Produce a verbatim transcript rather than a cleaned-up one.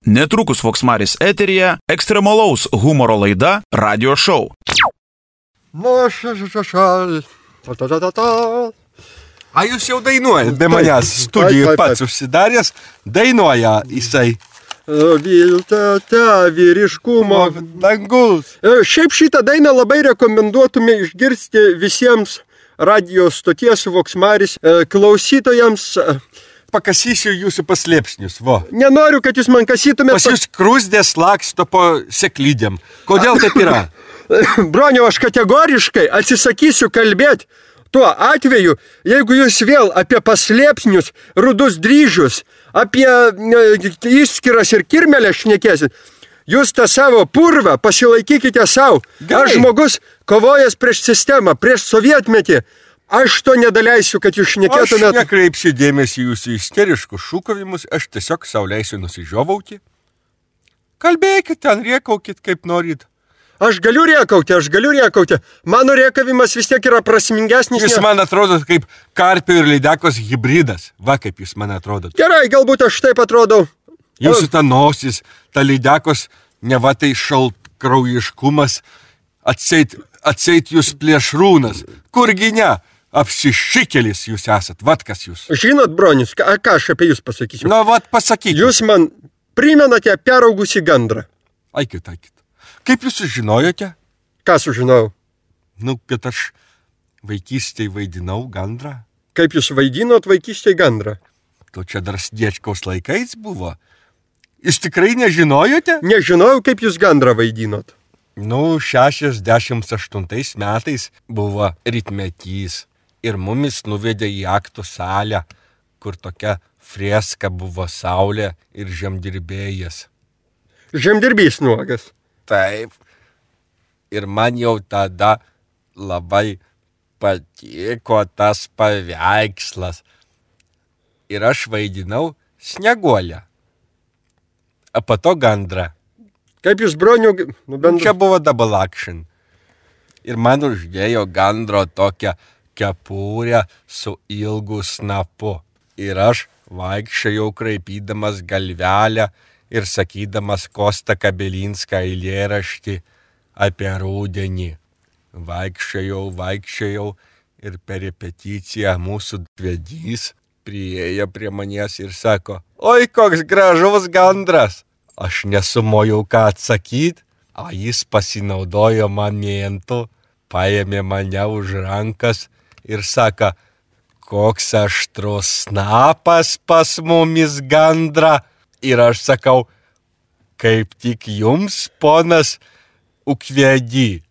Netrukus Voksmaris eteryje ekstremalaus humoro laida Radio Show. Nu, šal. A jūs jau dainuojat, be manęs studijų pats užsidaręs, dainuoja jisai. Vilta, ta, vyriškumo dangus. Šiaip šitą dainą labai rekomenduotume išgirsti visiems radio stoties Voksmaris klausytojams. Pakasysiu jūsų paslėpsnius, vo. Nenoriu, kad jūs man kasytumėt. Pas jūs krūzdės laksto po seklydėm. Kodėl taip yra? Broniau, aš kategoriškai atsisakysiu kalbėti tuo atveju, jeigu jūs vėl apie paslėpsnius, rudus dryžius, apie išskiras ir kirmelės šnekėsit. Jūs tą savo purvą pasilaikykite savo. Aš žmogus kovojęs prieš sistemą, prieš sovietmetį. Aš to nedaleisiu, kad jūs šnekėtumėt. Aš nekreipsiu dėmesį jūsų isteriškus šūkavimus, aš tiesiog sau leisiu nusižiovauti. Kalbėkit ten, rėkaukit kaip norit. Aš galiu rėkauti, aš galiu rėkauti. Mano rėkavimas vis tiek yra prasmingesnis. Jūs man atrodot kaip karpio ir lydekos hybridas. Va, kaip jūs man atrodot. Gerai, galbūt aš taip atrodau. Jūsų ta nosis, ta lydekos, neva tai šaltkraujiškumas, atseit, atseit jūs plėšrūnas. Kurgi ne? Apsišikelis jūs esat, vat kas jūs. Žinot, Bronis, ką, ką aš apie jūs pasakysiu? Na, vat pasakykit. Jūs man primenate peraugusį gandrą. Aikit, aikit. Kaip jūs sužinojote? Ką sužinojau? Nu, kad aš vaikystėje vaidinau gandrą. Kaip jūs vaidinot vaikystėje gandrą? To čia dar Sniečkaus laikais buvo. Jūs tikrai nežinojote? Nežinojau, kaip jūs gandrą vaidinot. Nu, šešiasdešimt aštuntais metais buvo rytmetys. Ir mumis nuvedė į aktų salę, kur tokia freska buvo saulė ir žemdirbėjas. Žemdirbys nuogas. Taip. Ir man jau tada labai patiko tas paveikslas. Ir aš vaidinau Snieguolę. O po to gandrą. Kaip jūs, Broniu, nu bent... Čia buvo double action. Ir man uždėjo gandro tokią kepurę su ilgu snapu. Ir aš vaikščiojau kraipydamas galvelę ir sakydamas Kostą Kabelinską eilėraštį apie rudenį. Vaikščiojau, vaikščiojau ir per repeticiją mūsų vedys priėjo prie manęs ir sako, oi, koks gražus gandras. Aš nesumojau ką atsakyti, o jis pasinaudojo momentu, paėmė mane už rankas ir sako, koks aštrus snapas pas mumis gandra. Ir aš sakau, kaip tik jums, ponas Ukvedy.